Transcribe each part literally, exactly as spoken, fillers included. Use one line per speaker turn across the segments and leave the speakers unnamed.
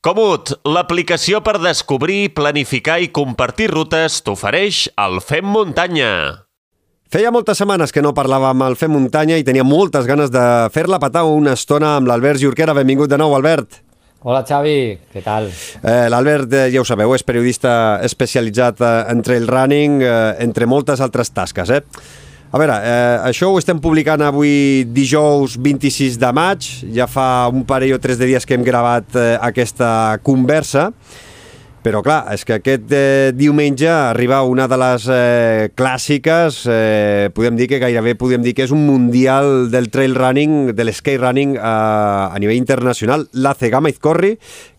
Comut, l'aplicació per descobrir, planificar i compartir rutes t'ofereix el Fem Muntanya.
Feia moltes setmanes que no parlàvem al Fem Muntanya i tenia moltes ganes de fer-la petar una estona amb l'Albert Jorquera. Benvingut de nou, Albert.
Hola, Xavi. Què tal?
Eh, L'Albert, eh, ja ho sabeu, és periodista especialitzat eh, en trail running, eh, entre moltes altres tasques, eh? A veure, eh, això ho estem publicant avui dijous vint-i-sis de maig, ja fa un parell o tres de dies que hem gravat eh, aquesta conversa, però clar, és que aquest eh, diumenge arriba una de les eh, clàssiques, eh, podem dir que gairebé podem dir que és un mundial del trail running, de l'skate running eh, a nivell internacional, la Cegama Izcorri,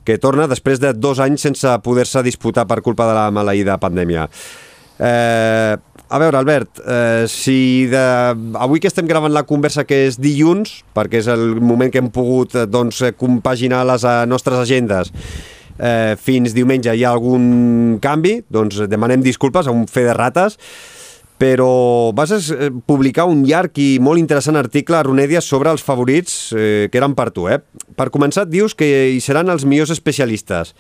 que torna després de dos anys sense poder-se disputar per culpa de la maleïda pandèmia. Eh, a veure, Albert, eh, si de... avui que estem gravant la conversa, que és dilluns, perquè és el moment que hem pogut eh, doncs, compaginar les eh, nostres agendes, eh, fins diumenge hi ha algun canvi, doncs demanem disculpes a un fe de rates, però vas eh, publicar un llarg i molt interessant article a Runèdia sobre els favorits eh, que eren per tu. Eh? Per començar, dius que hi seran els millors especialistes,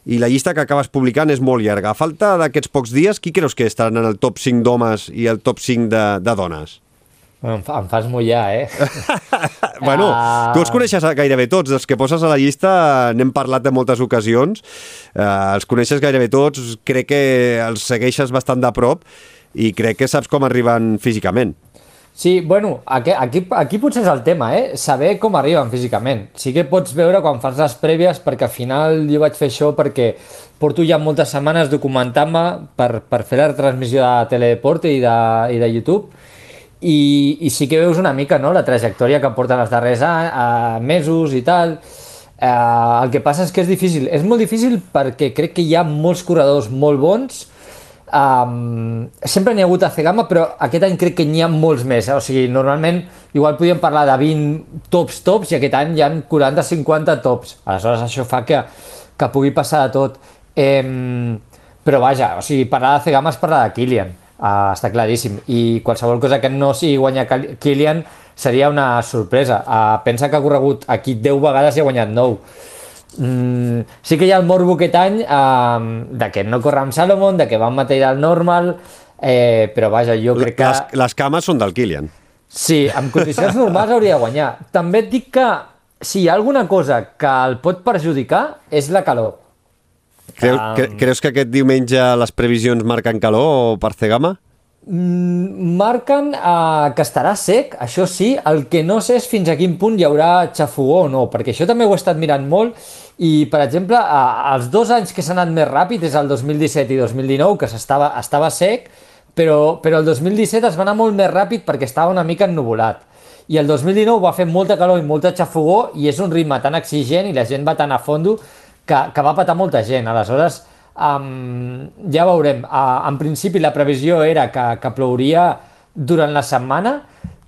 i la llista que acabes publicant és molt llarga. A falta d'aquests pocs dies, qui creus que estaran en el top cinc d'homes i el top cinc de, de dones?
Em, fa, em fas mullar, eh?
Bueno, uh... tu els coneixes gairebé tots. Els que poses a la llista n'hem parlat de moltes ocasions. Uh, els coneixes gairebé tots. Crec que els segueixes bastant de prop i crec que saps com arriben físicament.
Sí, bueno, aquí, aquí, aquí potser és el tema, eh? Saber com arriben físicament. Sí que pots veure quan fas les prèvies, perquè al final jo vaig fer això perquè porto ja moltes setmanes documentant-me per, per fer la retransmissió de Teledeport i de, i de YouTube, i, i sí que veus una mica, no?, la trajectòria que porten els darrers anys, eh, mesos i tal. Eh, el que passa és que és difícil. És molt difícil perquè crec que hi ha molts corredors molt bons. Um, sempre n'hi ha hagut a Cegama, però aquest any crec que n'hi ha molts més, eh? O sigui, normalment igual podíem parlar de vint tops tops i aquest any hi ha quaranta cinquanta tops, aleshores això fa que, que pugui passar de tot, um, però vaja, o sigui, parlar de Cegama és parlar de Kilian, uh, està claríssim, i qualsevol cosa que no sigui guanyar Kilian seria una sorpresa. Uh, pensa que ha corregut aquí deu vegades i ha guanyat nou. Mm, sí que hi ha el morbo aquest any eh, de que no corre amb Salomon, de que va amb material normal, eh, però vaja, jo crec que...
Les, les cames són del Kilian.
Sí, en condicions normals hauria de guanyar. També et dic que si hi ha alguna cosa que el pot perjudicar és la calor.
Creu,
um...
cre, creus que aquest diumenge les previsions marquen calor per Cegama?
Marquen uh, que estarà sec, això sí. El que no sé és fins a quin punt hi haurà xafogó o no, perquè això també ho he estat mirant molt i, per exemple, uh, els dos anys que s'han anat més ràpid és el dos mil disset i dos mil dinou, que estava, estava sec, però, però el dos mil disset es va anar molt més ràpid perquè estava una mica ennuvolat, i el dos mil dinou va fer molta calor i molta xafogó i és un ritme tan exigent i la gent va tan a fondo que, que va patar molta gent. Aleshores, Um, ja veurem. Uh, en principi la previsió era que, que plouria durant la setmana,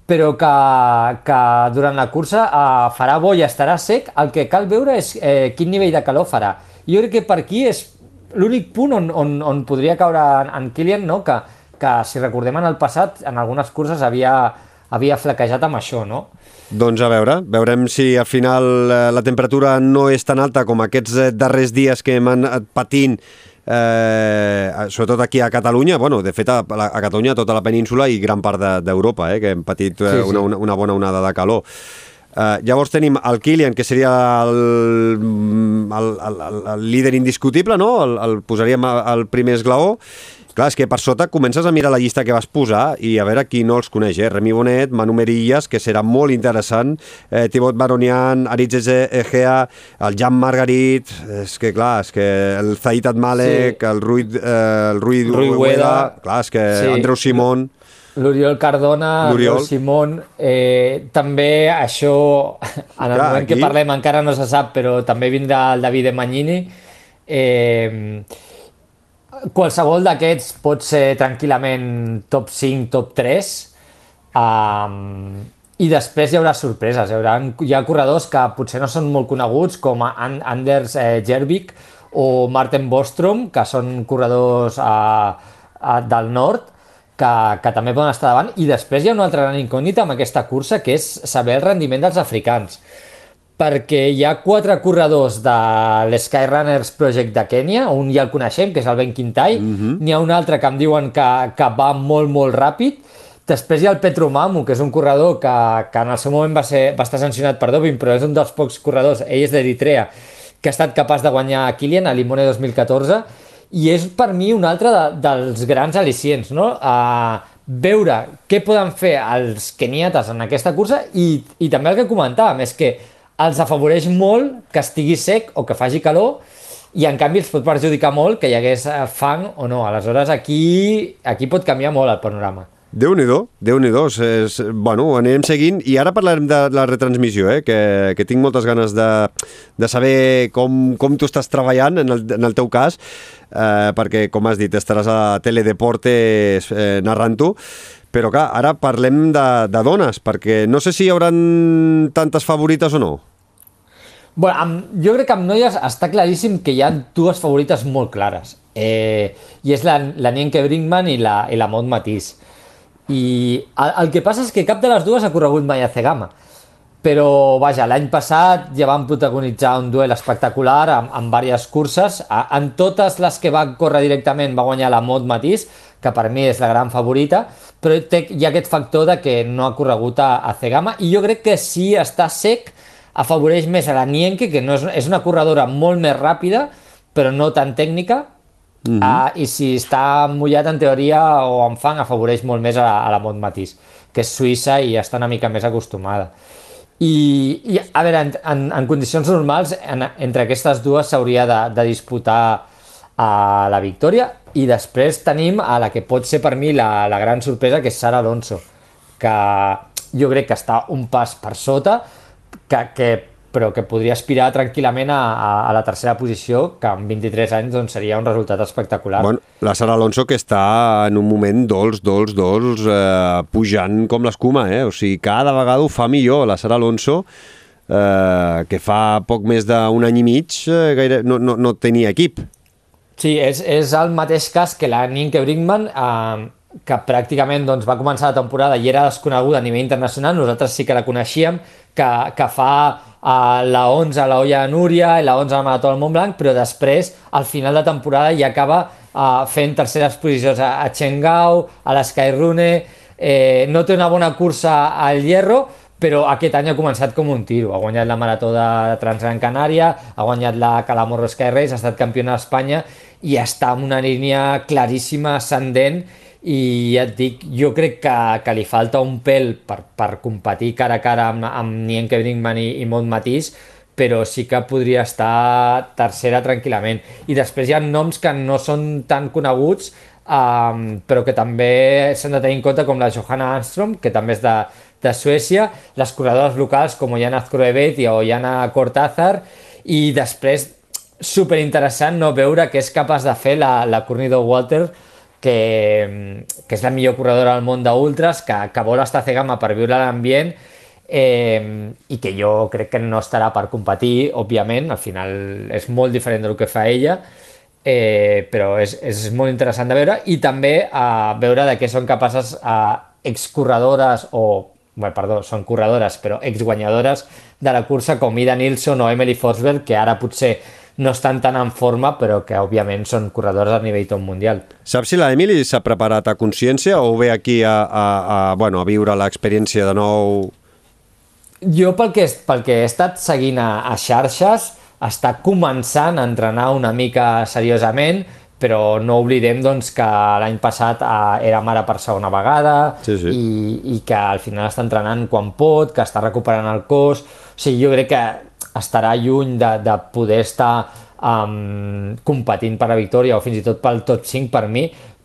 però que, que durant la cursa uh, farà bo i estarà sec. El que cal veure és eh, quin nivell de calor farà. Jo crec que per aquí és l'únic punt on, on, on podria caure en, en Kilian, no? que, que si recordem en el passat, en algunes curses havia, havia flaquejat amb això, no?
Doncs a veure, veurem si al final la temperatura no és tan alta com aquests darrers dies que hem anat patint, eh, sobretot aquí a Catalunya, bueno, de fet a, a Catalunya, tota la península i gran part d'Europa, eh, que hem patit eh, sí, sí. Una, una bona onada de calor. Uh, llavors tenim el Kilian, que seria el, el, el, el líder indiscutible, no? El, el posaríem al primer esglaó. Clar, és que per sota comences a mirar la llista que vas posar i a veure qui no els coneix, eh? Remi Bonet, Manu Merillas, que serà molt interessant, eh, Thibaut Baronian, Aritz Egea, el Jan Margarit, és que clar, és que el Zaid Admalek, sí. el Rui, eh, el Rui,
Rui Ueda,
clar, és que sí. Andreu Simón,
l'Oriol Cardona, l'Oriol Simón, eh, també això, en el clar, moment aquí... que parlem encara no se sap, però també vindrà el Davide Magnini. Eh, qualsevol d'aquests pot ser tranquil·lament top cinc, top tres, um, i després hi haurà sorpreses. Hi, haurà, hi ha corredors que potser no són molt coneguts, com Anders eh, Jervik o Martin Bostrom, que són corredors uh, uh, del nord, que, que també poden estar davant, i després hi ha una altra gran incògnita amb aquesta cursa, que és saber el rendiment dels africans. perquè hi ha quatre corredors de l'Skyrunners Project de Kènia, un ja el coneixem, que és el Ben Kintai, mm-hmm. N'hi ha un altre que em diuen que, que va molt, molt ràpid. Després hi ha el Petru Mamu, que és un corredor que, que en el seu moment va, ser, va estar sancionat per doping, però és un dels pocs corredors, ell és d'Eritrea, que ha estat capaç de guanyar a Kilian, a Limone dos mil catorze, i és per mi un altre de, dels grans al·licients, no? A veure què poden fer els keniates en aquesta cursa i, i també el que comentàvem, és que els afavoreix molt que estigui sec o que faci calor i en canvi els pot perjudicar molt que hi hagués fang o no. Aleshores aquí, aquí pot canviar molt el panorama.
Déu-n'hi-do, Déu-n'hi-do. És, bueno, anirem seguint i ara parlarem de la retransmissió, eh? que, que tinc moltes ganes de, de saber com, com tu estàs treballant en el, en el teu cas, eh, perquè, com has dit, estaràs a Teledeportes eh, narrant-ho. Però clar, ara parlem de, de dones, perquè no sé si hi haurà tantes favorites o no.
Bueno, amb, jo crec que amb noies està claríssim que hi ha dues favorites molt clares. Eh, I és la, la Nienke Brinkman i la, i la Maud Matisse. I el, el que passa és que cap de les dues ha corregut mai a Zegama. Però, vaja, l'any passat ja van protagonitzar un duel espectacular en, en diverses curses. A, en totes les que va córrer directament va guanyar la Maud Matisse, que per mi és la gran favorita, però té, hi ha aquest factor de que no ha corregut a, a Zegama, i jo crec que si està sec afavoreix més a la Nienke, que no és, és una corredora molt més ràpida, però no tan tècnica, mm-hmm. uh, i si està mullat en teoria o en fang, afavoreix molt més a la, a la Maud Matisse, que és suïssa i està una mica més acostumada. I, i a veure, en, en, en condicions normals, en, entre aquestes dues s'hauria de, de disputar a la victòria, i després tenim a la que pot ser per mi la, la gran sorpresa, que és Sara Alonso, que jo crec que està un pas per sota, que, que, però que podria aspirar tranquil·lament a, a, a la tercera posició, que amb vint-i-tres anys doncs, seria un resultat espectacular.
Bueno, la Sara Alonso, que està en un moment dolç, dolç, dolç, eh, pujant com l'escuma, eh? O sigui, cada vegada ho fa millor la Sara Alonso, eh, que fa poc més d'un any i mig eh, gaire, no, no, no tenia equip.
Sí, és, és el mateix cas que la Nienke Brinkman, eh, que pràcticament doncs, va començar la temporada i era desconeguda a nivell internacional. Nosaltres sí que la coneixíem, que, que fa uh, la onze a la Olla de Núria i la onze a la Marató del Montblanc, però després, al final de temporada, ja acaba uh, fent terceres posicions a, a Chengao, a l'Skyrunner, eh, no té una bona cursa al Hierro, però aquest any ha començat com un tiro. Ha guanyat la Marató de Transgran Canària, ha guanyat la Calamorro Sky Race, ha estat campiona d'Espanya i està en una línia claríssima, ascendent, i ja et dic, jo crec que, que li falta un pèl per, per competir cara a cara amb, amb Nienke Brinkman i, i Maud Matisse, però sí que podria estar tercera tranquil·lament. I després hi ha noms que no són tan coneguts, um, però que també s'han de tenir en compte, com la Johanna Armstrong, que també és de, de Suècia, les corredores locals com Ollana Azcroebet i Ollana Cortázar, i després, superinteressant no veure què és capaç de fer la, la Courtney Dauwalter, que, que és la millor corredora del món d'ultras, que, que vol estar a Zegama per viure l'ambient, eh, i que jo crec que no estarà per competir, òbviament, al final és molt diferent del que fa ella, eh, però és, és molt interessant de veure, i també a eh, veure de què són capaces eh, excorredores o, bueno, perdó, són corredores, però exguanyadores de la cursa com Ida Nilsson o Emily Forsberg, que ara potser no estan tan en forma, però que òbviament són corredors a nivell top mundial.
Saps si la Emily s'ha preparat a consciència o ve aquí a, a, a, bueno, a viure l'experiència de nou?
Jo pel que, pel que he estat seguint a, a xarxes, està començant a entrenar una mica seriosament, però no oblidem doncs, que l'any passat eh, era mare per segona vegada,
sí, sí.
I, i que al final està entrenant quan pot, que està recuperant el cos. O sigui, jo crec que estarà lluny de, de poder estar um, competint per la victòria o fins i tot pel top cinc per mi,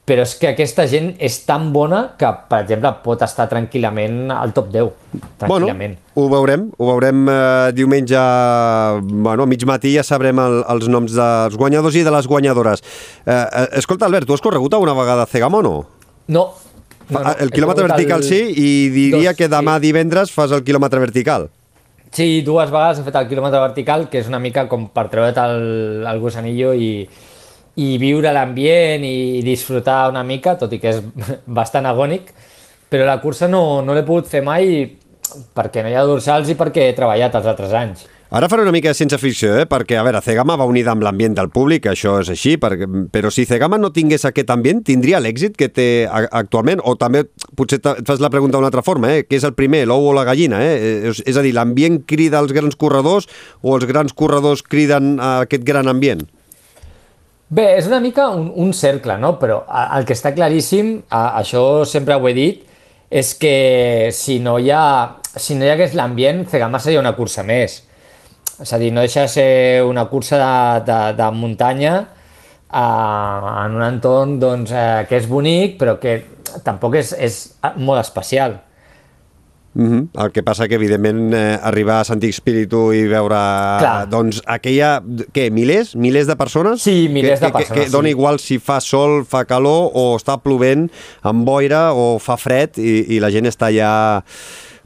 però és que aquesta gent és tan bona que, per exemple, pot estar tranquil·lament al top deu, tranquil·lament.
Bueno, ho veurem, ho veurem eh, diumenge, bueno, a mig matí ja sabrem el, els noms dels guanyadors i de les guanyadores. Eh, eh, escolta, Albert, tu has corregut alguna vegada a Zegama o no?
No. no, no.
El quilòmetre vertical el... sí, i diria dos, que demà sí. Divendres fas el quilòmetre vertical.
Sí, dues vegades he fet el quilòmetre vertical, que és una mica com per treure't el, el gusanillo i, i viure l'ambient i disfrutar una mica, tot i que és bastant agònic, però la cursa no, no l'he pogut fer mai perquè no hi ha dorsals i perquè he treballat els altres anys.
Ara faré una mica de ciència ficció, eh? Perquè, a veure, Zegama va unida amb l'ambient del públic, això és així, perquè, però si Zegama no tingués aquest ambient, tindria l'èxit que té actualment? O també, potser et fas la pregunta d'una altra forma, eh? Què és el primer, l'ou o la gallina? Eh? És, és a dir, l'ambient crida als grans corredors o els grans corredors criden a aquest gran ambient?
Bé, és una mica un, un cercle, no? Però el que està claríssim, això sempre ho he dit, és que si no hi ha, si no hi hagués l'ambient, Zegama seria una cursa més. És a dir, no deixa de ser una cursa de, de, de muntanya eh, en un entorn doncs, eh, que és bonic, però que tampoc és, és molt especial.
Mm-hmm. El que passa que, evidentment, eh, arribar a Sant Espíritu i veure
Clar.
doncs, aquella... Què, milers? Milers de persones?
Sí, milers
que,
de persones.
Que, que dona
sí.
igual si fa sol, fa calor, o està plovent, amb boira, o fa fred, i, i la gent està ja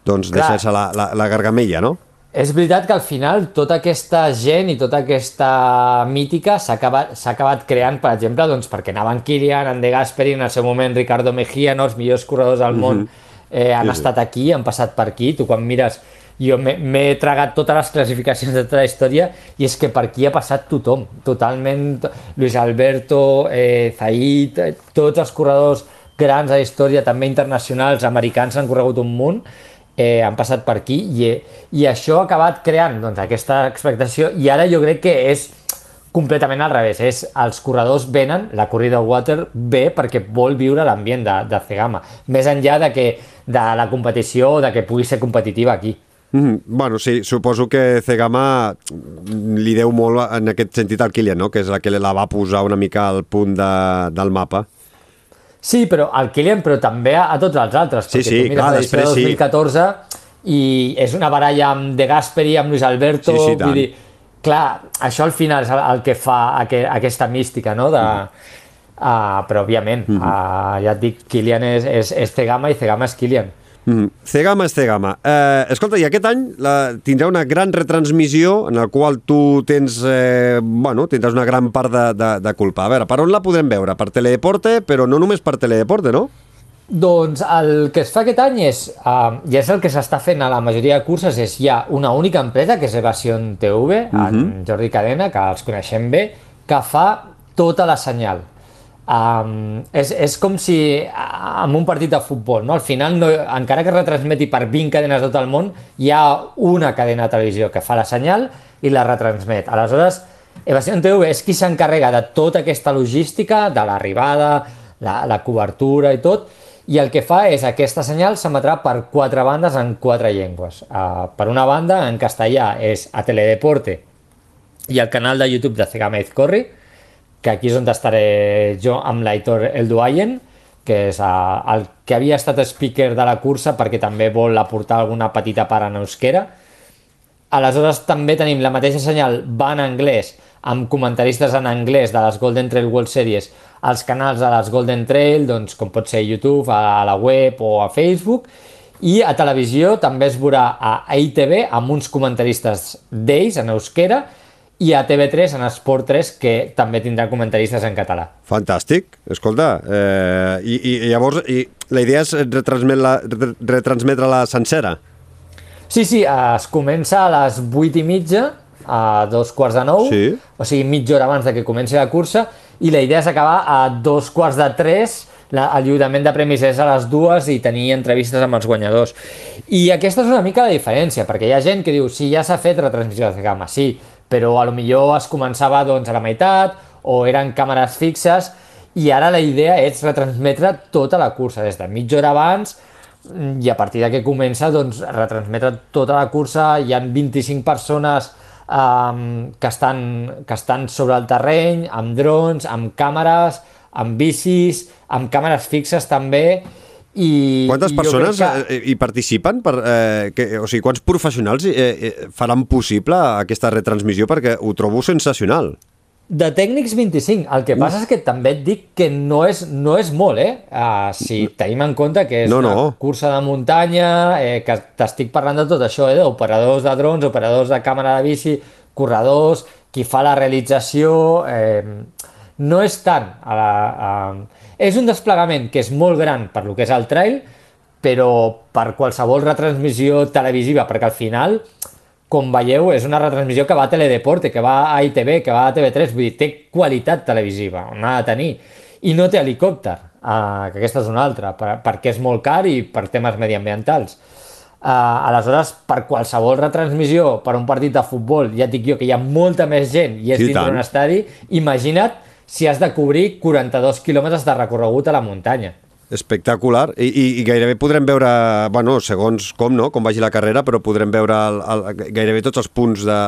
doncs, deixant-se la, la, la gargamella, no?
És veritat que al final tota aquesta gent i tota aquesta mítica s'ha acabat, s'ha acabat creant, per exemple, doncs, perquè anaven Kilian, en De Gasperi, en el seu moment Ricardo Mejía, no? Els millors corredors del món eh, han sí, estat aquí, han passat per aquí. Tu quan mires, jo m'he tragat totes les classificacions de tota la història i és que per aquí ha passat tothom, totalment. Luis Alberto, eh, Zaid, eh, tots els corredors grans de la història, també internacionals, americans, han corregut un munt. Eh, han passat per aquí i, i això ha acabat creant doncs, aquesta expectació i ara jo crec que és completament al revés, és els corredors venen, la corrida water ve perquè vol viure l'ambient de, de Zegama, més enllà de, que, de la competició o de que pugui ser competitiva aquí.
Mm, bueno, sí, suposo que Zegama li deu molt en aquest sentit al Kilian, no? Que és la que la va posar una mica al punt de, del mapa.
Sí, però al Kilian, però també a, a tots els altres,
sí,
perquè
sí,
tu mires
clar,
l'edició de dos mil catorze sí. I és una baralla amb De Gasperi, amb Luis Alberto,
sí, sí,
vull dir, clar, això al final és el, el que fa aqu aquesta mística, no? De, mm. uh, però òbviament, mm -hmm. uh, ja et dic, Kilian és, és, és Zegama i Zegama és Kilian.
Mm. Zegama és Zegama. Eh, escolta, i aquest any la, tindrà una gran retransmissió en la qual tu tens, eh, bueno, tindràs una gran part de, de, de culpa. A veure, per on la podrem veure? Per Teledeporte, però no només per Teledeporte, no?
Doncs el que es fa aquest any és, uh, i és el que s'està fent a la majoria de curses, és hi ha una única empresa, que és Evasion T V, uh-huh. en Jordi Cadena, que els coneixem bé, que fa tota la senyal. Um, és, és com si amb un partit de futbol, no? Al final, no, encara que es retransmeti per vint cadenes de tot el món, hi ha una cadena de televisió que fa la senyal i la retransmet. Aleshores, Evasion T V és qui s'encarrega de tota aquesta logística, de l'arribada, la, la cobertura i tot, i el que fa és aquesta senyal s'emetrà per quatre bandes en quatre llengües. Uh, per una banda, en castellà, és a Teledeporte i el canal de YouTube de Zegama Izcorri, que aquí és on estaré jo amb l'Aitor Elduayen, que és uh, el que havia estat speaker de la cursa perquè també vol aportar alguna petita part en euskera. Aleshores també tenim la mateixa senyal, va en anglès, amb comentaristes en anglès de les Golden Trail World Series, als canals de les Golden Trail, doncs, com pot ser YouTube, a la web o a Facebook, i a televisió també es veurà a I T V amb uns comentaristes d'ells en euskera, i a T V tres, en Esport tres, que també tindrà comentaristes en català.
Fantàstic, escolta, eh, i, i llavors i la idea és retransmetre-la retransmetre sencera?
Sí, sí, es comença a les vuit i mitja, a dos quarts de nou,
sí.
O sigui, mitja hora abans de que comenci la cursa, i la idea és acabar a dos quarts de tres, la, el lliurament de premis és a les dues i tenir entrevistes amb els guanyadors. I aquesta és una mica la diferència, perquè hi ha gent que diu, sí, ja s'ha fet retransmissió de Zegama, sí, però a lo millor es començava doncs, a la meitat o eren càmeres fixes i ara la idea és retransmetre tota la cursa des de mitja hora abans i a partir de que comença doncs, retransmetre tota la cursa. Hi ha vint-i-cinc persones um, que, estan, que estan sobre el terreny, amb drons, amb càmeres, amb bicis, amb càmeres fixes també. I,
quantes
i
persones
que...
hi participen? Per, eh, que, o sigui, quants professionals eh, eh, faran possible aquesta retransmissió? Perquè ho trobo sensacional.
De tècnics vint-i-cinc. El que Uf. passa és que també et dic que no és, no és molt, eh? Uh, si tenim en compte que és no, no. una cursa de muntanya, eh, que t'estic parlant de tot això, eh? Operadors de drons, operadors de càmera de bici, corredors, qui fa la realització... Eh, no és tant... A la, a, és un desplegament que és molt gran per lo que és el trail, però per qualsevol retransmissió televisiva, perquè al final com veieu, és una retransmissió que va a Teledeporte, que va a I T V, que va a T V tres, vull dir, té qualitat televisiva, on ha de tenir, i no té helicòpter, uh, que aquesta és una altra, per, perquè és molt car i per temes mediambientals. Uh, aleshores, per qualsevol retransmissió, per un partit de futbol, ja et dic jo que hi ha molta més gent i és
Sí,
dintre
tant.
d'un estadi, imagina't si has de cobrir quaranta-dos quilòmetres de recorregut a la muntanya.
Espectacular, I, i, i gairebé podrem veure, bueno, segons com, no?, com vagi la carrera, però podrem veure el, el, gairebé tots els punts de,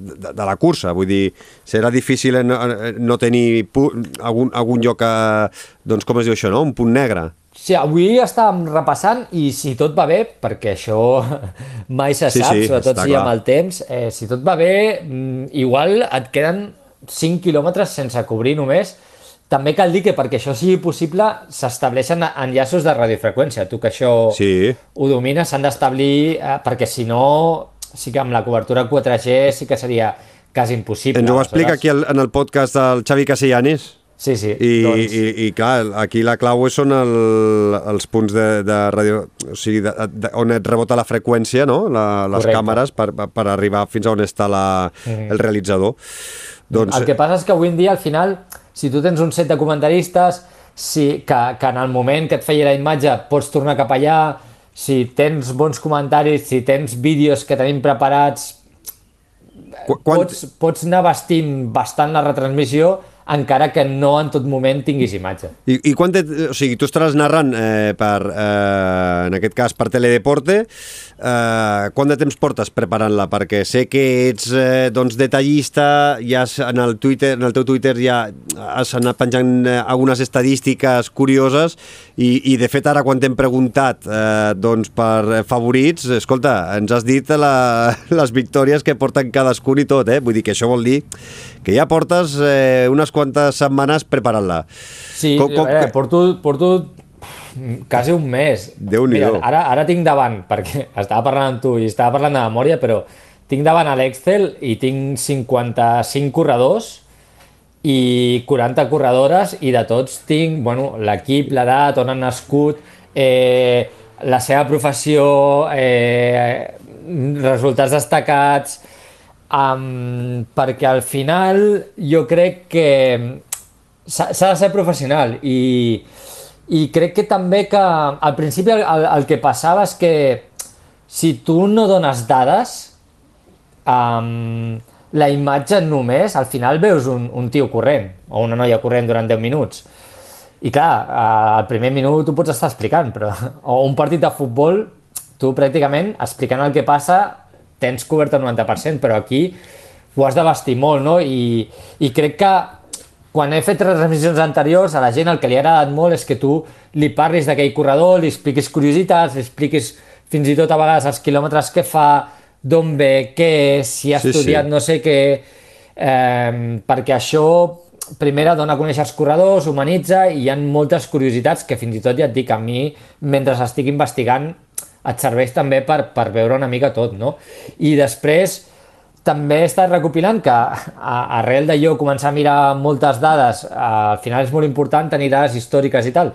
de, de la cursa, vull dir, serà difícil no, no tenir pu algun, algun lloc, a, doncs com es diu això, no?, un punt negre.
Sí, avui estàvem repassant i si tot va bé, perquè això mai se
Sí,
sap,
sí,
sobretot
està
si
clar.
amb el temps, eh, si tot va bé, mm, igual et queden cinc quilòmetres sense cobrir només. També cal dir que perquè això sigui possible s'estableixen enllaços de radiofreqüència. Tu que això
Sí.
ho domines, s'han d'establir, eh, perquè si no, sí que amb la cobertura quatre G sí que seria quasi impossible.
Ens ho explica
Aleshores-
aquí el, en el podcast del Xavi Castellanes.
Sí, sí.
I,
doncs...
i, i clar, aquí la clau són el, els punts de, de ràdio, o sigui, de, de, on et rebota la freqüència, no?, la, les
Correcte.
càmeres per, per arribar fins a on està la,
Mhm.
el realitzador. Doncs,
El que passa és que avui en dia, al final, si tu tens un set de comentaristes, si, que, que en el moment que et feia la imatge pots tornar cap allà, si tens bons comentaris, si tens vídeos que tenim preparats,
qu quan,
pots, pots anar vestint bastant la retransmissió, encara que no en tot moment tinguis imatge.
I, i quan te, o sigui, tu estaràs narrant eh, per, eh, en aquest cas per Teledeporte, eh, quant de temps portes preparant-la? Perquè sé que ets eh, doncs detallista, ja has, en el Twitter, en el teu Twitter ja has anat penjant eh, algunes estadístiques curioses i, i de fet ara quan t'hem preguntat eh, doncs per favorits, escolta, ens has dit la, les victòries que porten cadascun i tot, eh? Vull dir que això vol dir que ja portes eh, unes quantes setmanes preparant-la.
Sí,
Com- com-
a veure, porto, porto quasi un mes.
Déu-n'hi-do.
Mira, ara, ara tinc davant, perquè estava parlant amb tu i estava parlant de memòria, però tinc davant a l'Excel i tinc cinquanta-cinc corredors i quaranta corredores i de tots tinc, bueno, l'equip, l'edat, on han nascut, eh, la seva professió, eh, resultats destacats, um, perquè al final jo crec que s'ha s'ha de ser professional i, i crec que també que al principi el, el, el que passava és que si tu no dones dades, um, la imatge només, al final veus un, un tio corrent o una noia corrent durant deu minuts. I clar, al primer minut tu pots estar explicant, però o un partit de futbol, tu pràcticament explicant el que passa tens cobert el noranta per cent, però aquí ho has de vestir molt, no? I, i crec que quan he fet transmissions anteriors, a la gent el que li ha agradat molt és que tu li parlis d'aquell corredor, li expliquis curiositats, li expliquis fins i tot a vegades els quilòmetres que fa, d'on ve, què és, si ha
Sí,
estudiat
sí.
no sé què, eh, perquè això primera dona a conèixer els corredors, humanitza i hi ha moltes curiositats que fins i tot ja et dic, a mi, mentre estic investigant, et serveix també per, per veure una mica tot, no? I després també he estat recopilant que a, arrel de jo començar a mirar moltes dades, al final és molt important tenir dades històriques i tal,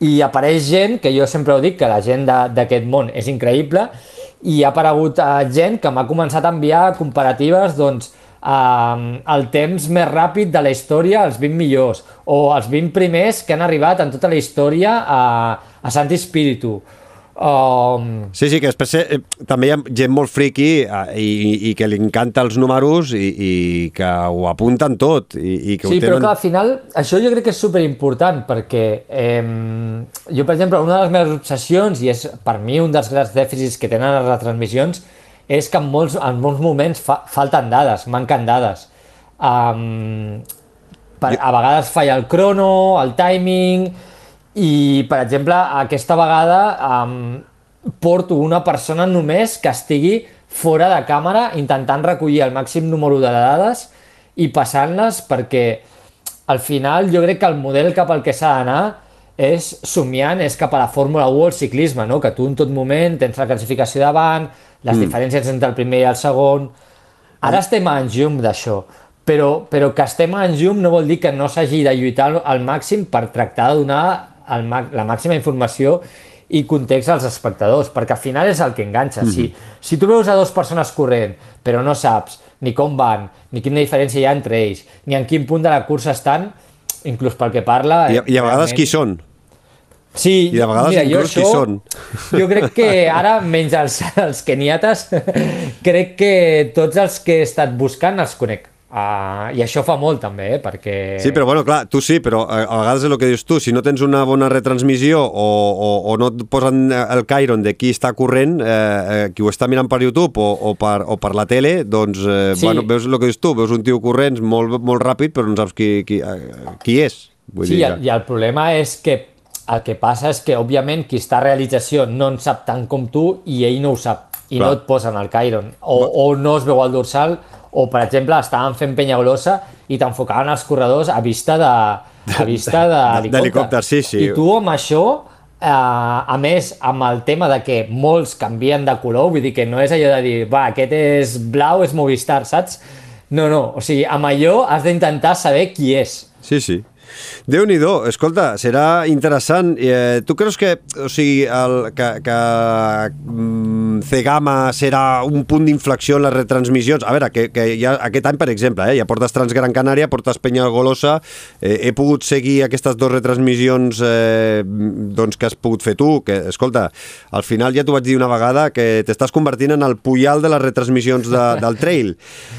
i apareix gent, que jo sempre ho dic, que la gent de- d'aquest món és increïble, i ha aparegut eh, gent que m'ha començat a enviar comparatives, doncs, eh, el temps més ràpid de la història, els vint millors, o els vint primers que han arribat en tota la història a, a Santi Spiritu. Um,
Sí, sí, que després eh, també hi ha gent molt friqui eh, i, i que li encanta els números i, i que ho apunten tot i, i que
sí,
ho
però
tenen...
clar, al final això jo crec que és superimportant perquè eh, jo, per exemple, una de les meves obsessions i és per mi un dels grans dèficits que tenen les retransmissions és que en molts, en molts moments fa, falten dades, manquen dades. Um, per, a vegades falla el crono, el timing... I, per exemple, aquesta vegada um, porto una persona només que estigui fora de càmera intentant recollir el màxim número de dades i passant-les perquè al final jo crec que el model cap al que s'ha d'anar és somiant, és cap a la Fórmula u o el ciclisme, no? Que tu en tot moment tens la classificació davant, les mm. diferències entre el primer i el segon... Ara estem en llum d'això, però, però que estem en llum no vol dir que no s'hagi de lluitar al màxim per tractar de donar el, la màxima informació i context als espectadors, perquè al final és el que enganxa. Mm. Si, si tu veus a dues persones corrent, però no saps ni com van, ni quina diferència hi ha entre ells, ni en quin punt de la cursa estan, inclús pel que parla...
I, i a vegades qui són.
Sí,
I de vegades
mira,
inclús
jo,
qui són.
Jo crec que ara, menys els, els keniates, crec que tots els que he estat buscant els conec. Uh, I això fa molt també, eh? Perquè...
Sí, però bueno, clar, tu sí, però a, a vegades és el que dius tu, si no tens una bona retransmissió o, o, o no et posen el Chiron de qui està corrent, eh, eh, qui ho està mirant per YouTube o, o, per, o per la tele, doncs eh, sí. Bueno, veus el que dius tu, veus un tio corrent molt, molt ràpid però no saps qui, qui, qui és. Vull
sí,
dir,
i el, i el problema és que el que passa és que, òbviament, qui està a realització no en sap tant com tu i ell no ho sap, i clar. No et posen el Chiron, o, o no es veu el dorsal, o, per exemple, estaven fent Penyagolosa i t'enfocaven els corredors a vista de, a vista d'helicòpter.
Sí, sí.
I tu amb això, eh, a més, amb el tema de que molts canvien de color, vull dir que no és allò de dir, va, aquest és blau, és Movistar, saps? No, no, o sigui, amb allò has d'intentar saber qui és.
Sí, sí. Déu-n'hi-do, escolta, serà interessant. Eh, tu creus que, o sigui, el, que, que mm, C-Gama serà un punt d'inflexió en les retransmissions? A veure, que, que ja, aquest any, per exemple, eh, ja portes Transgran Canària, portes Penyagolosa, eh, he pogut seguir aquestes dues retransmissions eh, doncs, que has pogut fer tu, que, escolta, al final ja t'ho vaig dir una vegada, que t'estàs convertint en el Puyal de les retransmissions de, del trail.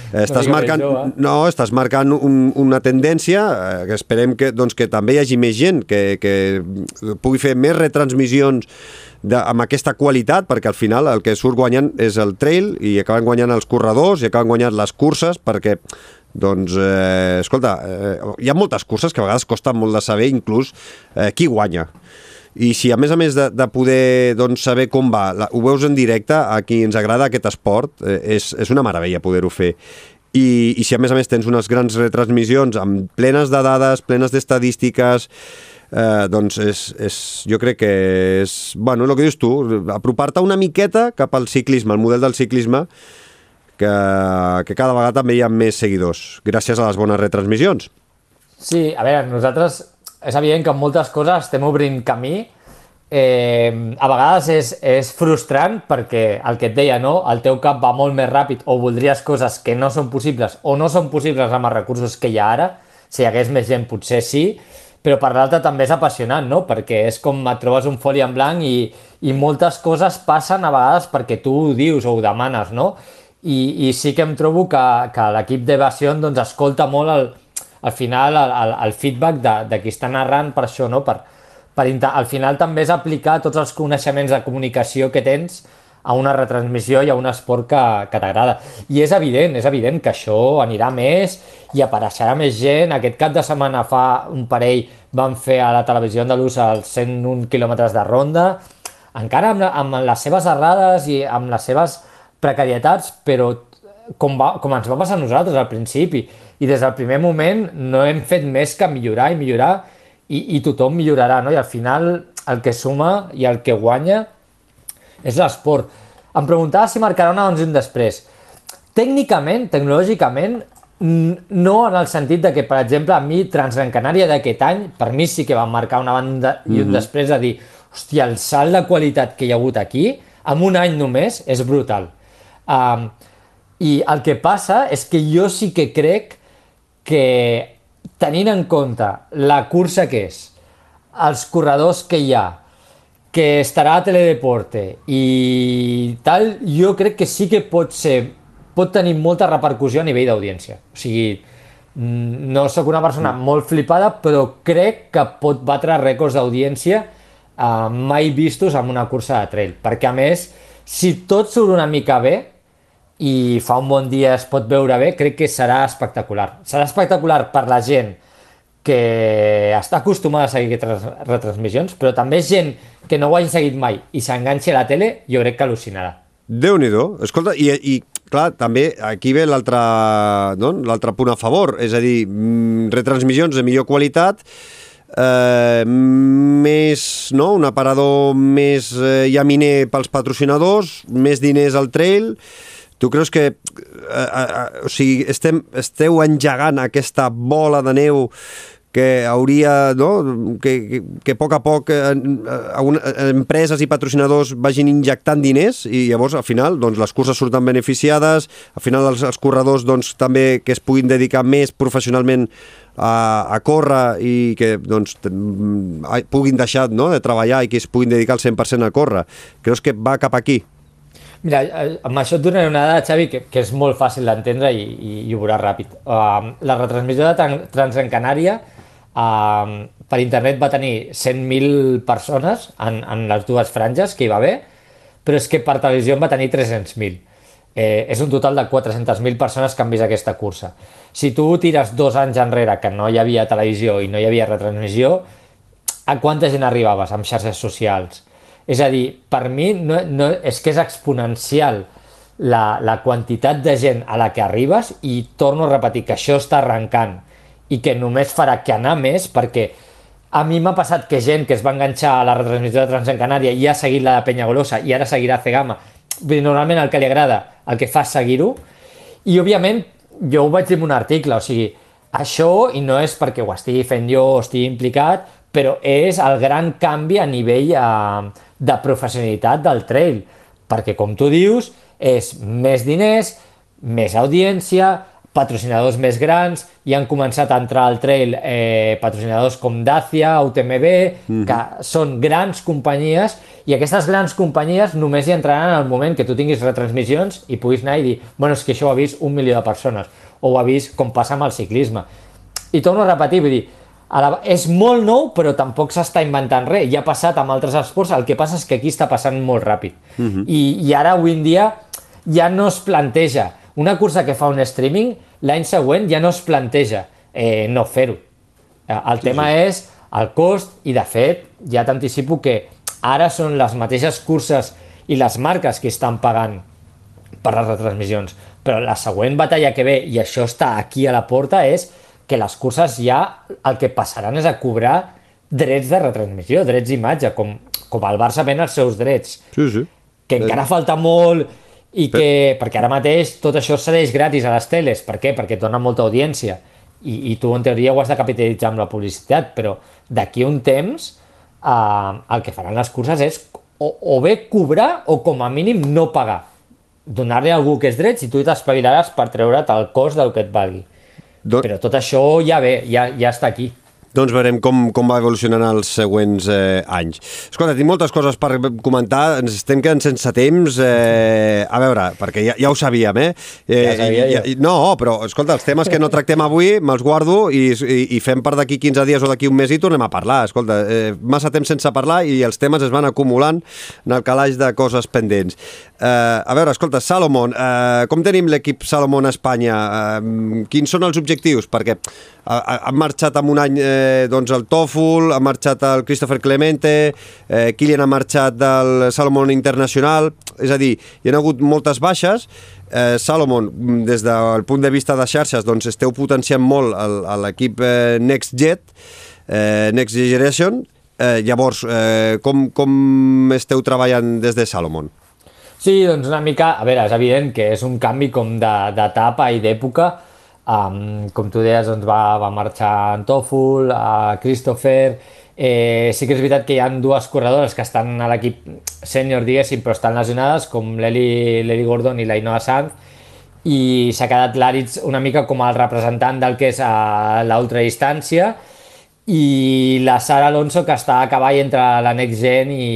Eh, estàs, marcant, no, estàs marcant un, una tendència eh, que esperem que, doncs, que també hi hagi més gent que, que pugui fer més retransmissions de, amb aquesta qualitat, perquè al final el que surt guanyant és el trail i acaben guanyant els corredors i acaben guanyant les curses, perquè doncs, eh, escolta, eh, hi ha moltes curses que a vegades costa molt de saber inclús eh, qui guanya. I si a més a més de, de poder doncs, saber com va, la, ho veus en directe, a qui ens agrada aquest esport, eh, és, és una meravella poder-ho fer. I, i si a més a més tens unes grans retransmissions amb plenes de dades, plenes d'estadístiques, eh, doncs és, és, jo crec que és, bueno, el que dius tu, apropar-te una miqueta cap al ciclisme, al model del ciclisme, que, que cada vegada també hi ha més seguidors, gràcies a les bones retransmissions.
Sí, a veure, nosaltres és evident que en moltes coses estem obrint camí. Eh, a vegades és, és frustrant perquè el que et deia, no? El teu cap va molt més ràpid o voldries coses que no són possibles o no són possibles amb els recursos que hi ha ara. Si hi hagués més gent potser sí, però per l'altra també és apassionant, no? Perquè és com et trobes un foli en blanc i, i moltes coses passen a vegades perquè tu ho dius o ho demanes, no? I, i sí que em trobo que, que l'equip d'Evasion doncs, escolta molt el, al final el, el, el feedback de, de qui està narrant per això, no? Per, Per, al final també és aplicar tots els coneixements de comunicació que tens a una retransmissió i a un esport que, que t'agrada. I és evident, és evident que això anirà més i apareixerà més gent. Aquest cap de setmana fa un parell van fer a la televisió andalusa els cent un quilòmetres de ronda, encara amb, amb les seves errades i amb les seves precarietats, però com, va, com ens va passar a nosaltres al principi. I des del primer moment no hem fet més que millorar i millorar I, i tothom millorarà, no? I al final el que suma i el que guanya és l'esport. Em preguntava si marcarà un abans i un després. Tècnicament, tecnològicament, no en el sentit de que, per exemple, a mi Transgran Canària d'aquest any, per mi sí que va marcar una banda i un mm-hmm. després de dir, hòstia, el salt de qualitat que hi ha hagut aquí, en un any només, és brutal. Um, I el que passa és que jo sí que crec que tenint en compte la cursa que és, els corredors que hi ha, que estarà a Teledeporte i tal, jo crec que sí que pot ser, pot tenir molta repercussió a nivell d'audiència. O sigui, no sóc una persona molt flipada, però crec que pot batre rècords d'audiència eh, mai vistos en una cursa de trail. Perquè, a més, si tot surt una mica bé, i fa un bon dia es pot veure bé, crec que serà espectacular. Serà espectacular per la gent que està acostumada a seguir aquestes retransmissions, però també gent que no ho hagi seguit mai i s'enganxi a la tele, jo crec que al·lucinarà.
Déu-n'hi-do. Escolta, i, i clar, també aquí ve l'altre no? l'altre punt a favor, és a dir, retransmissions de millor qualitat, eh, més, no? un aparador més eh, llaminer pels patrocinadors, més diners al trail. Tu creus que eh, eh, o sigui, estem, esteu engegant aquesta bola de neu que hauria, no? que, que, que a poc a poc eh, eh, empreses i patrocinadors vagin injectant diners i llavors al final doncs, les curses surten beneficiades, al final els, els corredors doncs, també que es puguin dedicar més professionalment a, a córrer i que doncs, puguin deixar, no? de treballar i que es puguin dedicar al cent per cent a córrer. Creus que va cap aquí?
Mira, amb això et donaré una dada, Xavi, que, que és molt fàcil d'entendre i, i, i ho veuràs ràpid. Uh, la retransmissió de Transgrancanària uh, per internet va tenir cent mil persones en, en les dues franges que hi va haver, però és que per televisió en va tenir tres-cents mil. Eh, és un total de quatre-centes mil persones que han vist aquesta cursa. Si tu tires dos anys enrere que no hi havia televisió i no hi havia retransmissió, a quanta gent arribaves amb xarxes socials? És a dir, per mi no, no, és que és exponencial la, la quantitat de gent a la que arribes i torno a repetir que això està arrencant i que només farà que anar més perquè a mi m'ha passat que gent que es va enganxar a la retransmissió de Transgrancanària i ha seguit la de Peñagolosa i ara seguirà Cegama. Normalment el que li agrada, el que fa és seguir-ho i òbviament jo ho vaig dir en un article, o sigui, això i no és perquè ho estigui fent jo o estigui implicat, però és el gran canvi a nivell eh, de professionalitat del trail, perquè com tu dius, és més diners, més audiència, patrocinadors més grans, i han començat a entrar al trail eh, patrocinadors com Dacia, U T M B, mm-hmm. que són grans companyies, i aquestes grans companyies només hi entraran en el moment que tu tinguis retransmissions i puguis anar i dir, bueno, és que això ho ha vist un milió de persones, o ho ha vist com passa amb el ciclisme. I torno a repetir, vull dir, la, és molt nou, però tampoc s'està inventant res. Ja ha passat amb altres esports, el que passa és que aquí està passant molt ràpid. Uh-huh. I, I ara, avui en dia, ja no es planteja. Una cursa que fa un streaming, l'any següent ja no es planteja eh, no fer-ho. El sí, tema sí. és el cost, i de fet, ja t'anticipo que ara són les mateixes curses i les marques que estan pagant per les retransmissions. Però la següent batalla que ve, i això està aquí a la porta, és que les curses ja el que passaran és a cobrar drets de retransmissió, drets d'imatge, com, com el Barça ven els seus drets.
Sí, sí.
Que encara falta molt, i que, perquè ara mateix tot això cedeix gratis a les teles. Per què? Perquè et dona molta audiència. I, i tu, en teoria, ho has de capitalitzar amb la publicitat, però d'aquí un temps eh, el que faran les curses és o, o bé cobrar o, com a mínim, no pagar. Donar-li a algú que és drets i tu t'espavilaràs per treure't el cost del que et valgui. Don... Però tot això ja ve, ja, ja està aquí.
Doncs veurem com, com va evolucionant els següents eh, anys. Escolta, tinc moltes coses per comentar, ens estem quedant sense temps. Eh, a veure, perquè ja, ja ho sabíem, eh? eh
ja sabia
i, i, no, però, escolta, els temes que no tractem avui me'ls guardo i, i, i fem per d'aquí quinze dies o d'aquí un mes i tornem a parlar. Escolta, eh, massa temps sense parlar i els temes es van acumulant en el calaix de coses pendents. Eh, a veure, escolta, Salomon, eh, com tenim l'equip Salomon a Espanya? Eh, quins són els objectius? Perquè han marxat en un any eh, doncs el Toful, ha marxat el Christopher Clemente, eh, Kilian ha marxat del Salomon Internacional, és a dir, hi ha hagut moltes baixes. eh, Salomon, des del punt de vista de xarxes, doncs esteu potenciant molt l'equip eh, NextJet, eh, Next Generation. Eh, llavors, eh, com, com esteu treballant des de Salomon?
Sí, doncs una mica, a veure, és evident que és un canvi com d'etapa i d'època. Um, com tu deies, doncs va, va marxar en Toful, a Christopher. Eh, sí que és veritat que hi ha dues corredores que estan a l'equip sènior, diguéssim, però estan lesionades, com l'Eli Gordon i la Ainhoa Sanz, i s'ha quedat l'Aritz una mica com el representant del que és l'ultradistància, i la Sara Alonso, que està a cavall entre la Next Gen i,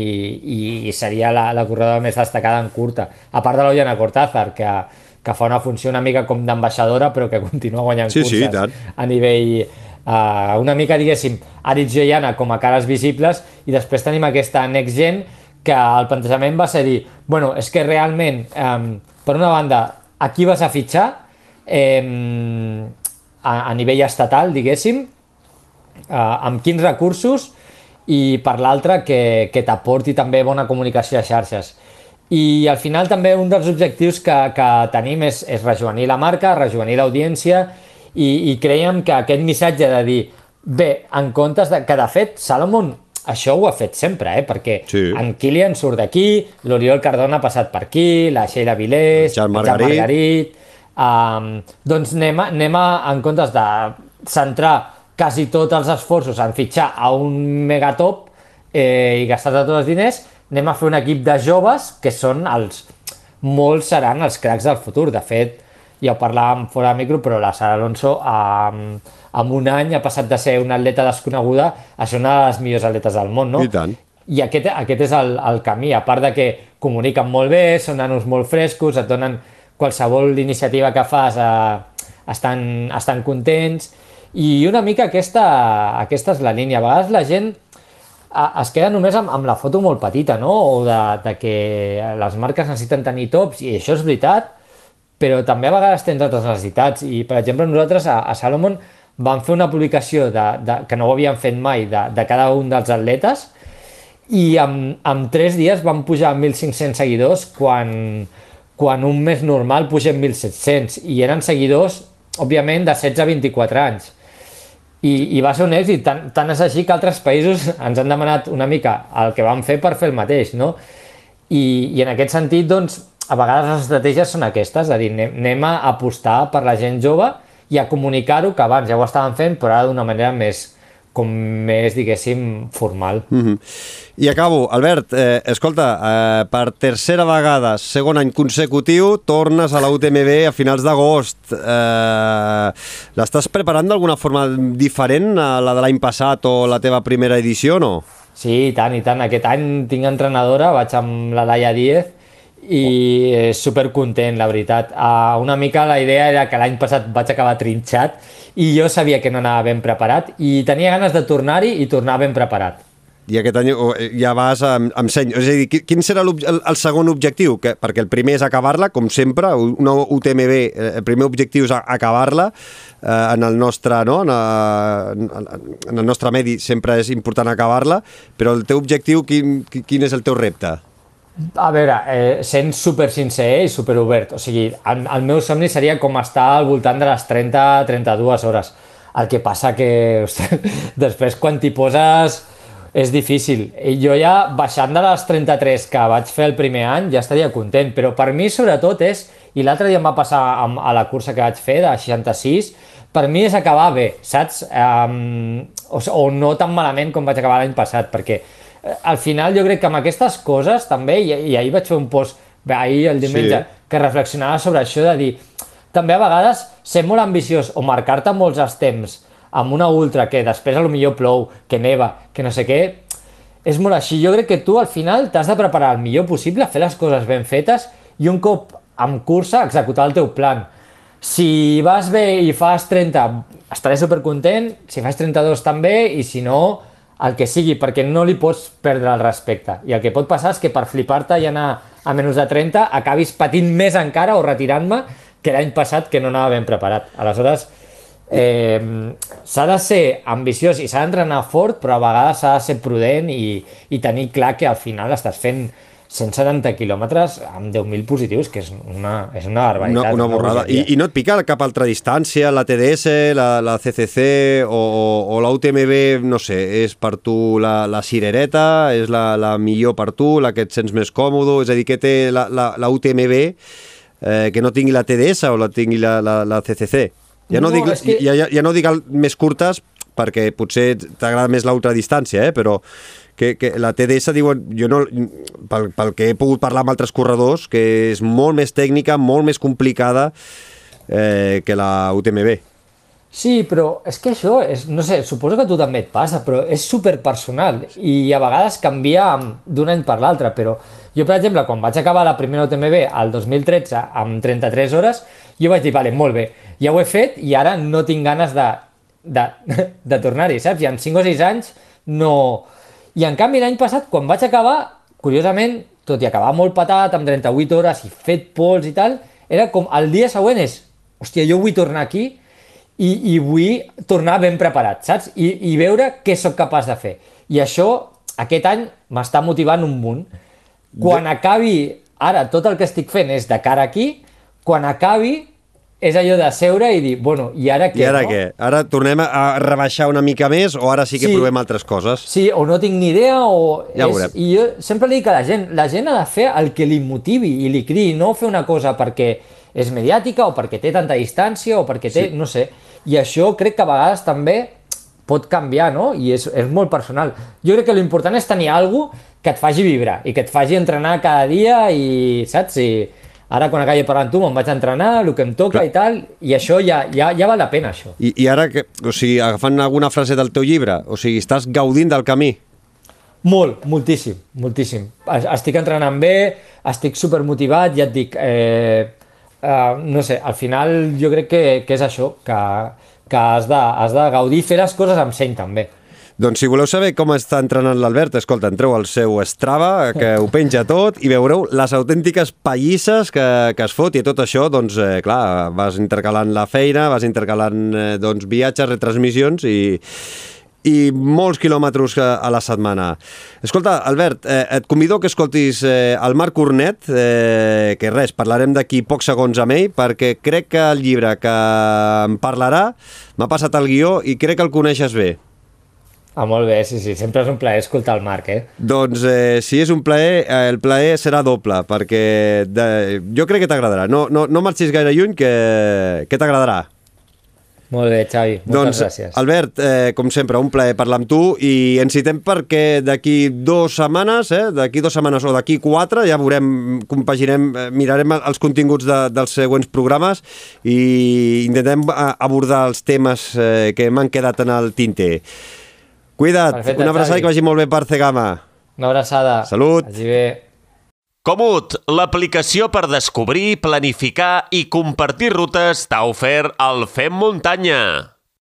i seria la, la corredora més destacada en curta, a part de l'Ollana Cortázar, que que fa una funció una mica com d'ambaixadora, però que continua guanyant
sí,
curses
sí,
a nivell... Uh, una mica, diguéssim, Aritz i Ollana com a cares visibles, i després tenim aquesta Next Gen, que el plantejament va ser dir, bueno, és que realment, um, per una banda, a qui vas a fitxar um, a, a nivell estatal, diguéssim, uh, amb quins recursos, i per l'altra, que, que t'aporti també bona comunicació a xarxes. I al final també un dels objectius que, que tenim és, és rejovenir la marca, rejovenir l'audiència, i, i creiem que aquest missatge de dir, bé, en comptes de, que de fet Salomon això ho ha fet sempre, eh? Perquè sí. En Kilian surt d'aquí, l'Oriol Cardona ha passat per aquí, la Sheila Vilés,
Jan Margarit,
Margarit um, doncs anem, a, anem a, en comptes de centrar quasi tots els esforços en fitxar a un megatop eh, i gastar tots els diners, anem a fer un equip de joves que són els... molts seran els cracs del futur. De fet, ja ho parlàvem fora de micro, però la Sara Alonso amb, amb un any ha passat de ser una atleta desconeguda a ser una de les millors atletes del món, no?
I tant.
I aquest, aquest és el, el camí, a part de que comuniquen molt bé, són nanos molt frescos, et donen qualsevol iniciativa que fas, eh, estan, estan contents, i una mica aquesta, aquesta és la línia. A vegades la gent eh, es queda només amb, amb la foto molt petita, no? O de, de que les marques necessiten tenir tops, i això és veritat, però també a vegades tens altres necessitats, i per exemple nosaltres a, a Salomon vam fer una publicació de, de, que no ho havíem fet mai de, de cada un dels atletes, i en, en tres dies vam pujar a mil cinc-cents seguidors quan, quan un mes normal pugem mil set-cents, i eren seguidors, òbviament, de setze a vint-i-quatre anys. I, i va ser un èxit, tant, tant és així que altres països ens han demanat una mica el que vam fer per fer el mateix, no? I, i en aquest sentit, doncs, a vegades les estratègies són aquestes, és a dir, anem, anem a apostar per la gent jove i a comunicar-ho, que abans ja ho estàvem fent, però ara d'una manera més, com més, diguéssim, formal.
Mm-hmm. I acabo. Albert, eh, escolta, eh, per tercera vegada, segon any consecutiu, tornes a la U T M B a finals d'agost. Eh, l'estàs preparant d'alguna forma diferent a la de l'any passat o la teva primera edició, no?
Sí, i tant, i tant. Aquest any tinc entrenadora, vaig amb la Laia Díez, i supercontent, la veritat. Uh, una mica la idea era que l'any passat vaig acabar trinxat i jo sabia que no anava ben preparat i tenia ganes de tornar-hi i tornar ben preparat.
I aquest any ja vas amb, amb seny. És a dir, quin serà el, el segon objectiu? Que, perquè el primer és acabar-la, com sempre, una U T M B, el primer objectiu és acabar-la. Eh, en el nostre, no? en, en el nostre medi sempre és important acabar-la, però el teu objectiu, quin, quin és el teu repte?
A veure, eh, sent super sincer i super obert, o sigui, el, el meu somni seria com estar al voltant de les trenta a trenta-dues hores. El que passa que, ostres, després quan t'hi poses és difícil. I jo ja, baixant de les trenta-tres que vaig fer el primer any, ja estaria content, però per mi sobretot és, i l'altre dia em va passar a la cursa que vaig fer, de seixanta-sis, per mi és acabar bé, saps? Um, o, o no tan malament com vaig acabar l'any passat, perquè al final jo crec que amb aquestes coses també, i, i ahir vaig fer un post, ahir el diumenge, sí, que reflexionava sobre això de dir, també a vegades ser molt ambiciós o marcar-te molts els temps amb una ultra que després a lo millor plou, que neva, que no sé què, és molt així. Jo crec que tu al final t'has de preparar el millor possible, fer les coses ben fetes i un cop amb cursa executar el teu plan. Si vas bé i fas trenta, estaré supercontent, si fas trenta-dos també, i si no, el que sigui, perquè no li pots perdre el respecte. I el que pot passar és que per flipar-te i anar a menys de trenta acabis patint més encara o retirant-me que l'any passat, que no anava ben preparat. Aleshores, eh, s'ha de ser ambiciós i s'ha d'entrenar fort, però a vegades s'ha de ser prudent i, i tenir clar que al final estàs fent cent setanta quilòmetres amb deu mil positius, que és una, és una barbaritat.
Una, una borrada. I, I no et pica cap altra distància, la T D S, la, la C C C o, o la U T M B, no sé, és per tu la, la cirereta, és la, la millor per tu, la que et sents més còmode, és a dir, que té la, la, la U T M B eh, que no tingui la T D S o la tingui la, la, la C C C? Ja no, no, dic, que... ja, ja, ja no dic més curtes, perquè potser t'agrada més l'ultradistància, eh? Però que, que la T D S diuen, jo no, pel, pel que he pogut parlar amb altres corredors, que és molt més tècnica, molt més complicada eh, que la U T M B.
Sí, però és que això, és, no sé, suposo que a tu també et passa, però és superpersonal i a vegades canvia d'un any per l'altre, però jo, per exemple, quan vaig acabar la primera U T M B el dos mil tretze amb trenta-tres hores, jo vaig dir, vale, molt bé, ja ho he fet i ara no tinc ganes de, de, de tornar-hi, saps? I en cinc o sis anys no... I en canvi l'any passat, quan vaig acabar, curiosament, tot i acabar molt patat, amb trenta-vuit hores i fet pols i tal, era com el dia següent és, hòstia, jo vull tornar aquí i, i vull tornar ben preparat, saps? I, i veure què sóc capaç de fer. I això, aquest any, m'està motivant un munt. Quan acabi, ara, tot el que estic fent és de cara aquí, quan acabi, és allò de seure i dir, bueno, i ara què?
I ara
no?
què? Ara tornem a rebaixar una mica més o ara sí que sí, provem altres coses?
Sí, o no tinc ni idea o...
Ja
és, I jo sempre li dic a la gent, la gent ha de fer el que li motivi i li cridi, no fer una cosa perquè és mediàtica o perquè té tanta distància o perquè té, sí, no sé. I això crec que a vegades també pot canviar, no? I és, és molt personal. Jo crec que l'important és tenir alguna cosa que et faci vibrar i que et faci entrenar cada dia i, saps? I ara, quan acabi parlant tu, me'n vaig a entrenar, el que em toca Clar. i tal, i això ja, ja, ja val la pena, això.
I, I ara, que, o sigui, agafant alguna frase del teu llibre, o sigui, estàs gaudint del camí?
Molt, moltíssim, moltíssim. Estic entrenant bé, estic supermotivat, ja et dic, eh, eh, no sé, al final jo crec que, que és això, que, que has de, has de gaudir, fer les coses amb seny també.
Doncs si voleu saber com està entrenant l'Albert, escolta, entreu al seu Strava, que ho penja tot, i veureu les autèntiques pallisses que, que es fot, i tot això, doncs, eh, clar, vas intercalant la feina, vas intercalant eh, doncs, viatges, retransmissions i, i molts quilòmetres a la setmana. Escolta, Albert, eh, et convido que escoltis eh, el Marc Cornet, eh, que res, parlarem d'aquí pocs segons amb ell, perquè crec que el llibre que em parlarà m'ha passat el guió i crec que el coneixes bé.
Ah, molt bé, sí, sí, sempre és un plaer escoltar el Marc, eh?
Doncs eh, si és un plaer, eh, el plaer serà doble, perquè de, jo crec que t'agradarà. No, no, no marxis gaire lluny, que, que t'agradarà.
Molt bé, Xavi, moltes
doncs,
gràcies.
Albert, eh, com sempre, un plaer parlar amb tu i ens citem perquè d'aquí dues setmanes, eh, d'aquí dues setmanes o d'aquí quatre, ja veurem, compaginem, eh, mirarem els continguts de, dels següents programes i intentem abordar els temes eh, que m'han quedat en el tinter. Cuida't, Perfecte, una abraçada i que vagi molt bé per Cegama.
Una abraçada.
Salut.
Vagi bé.
Komoot, l'aplicació per descobrir, planificar i compartir rutes t'ha ofert el Fem Muntanya.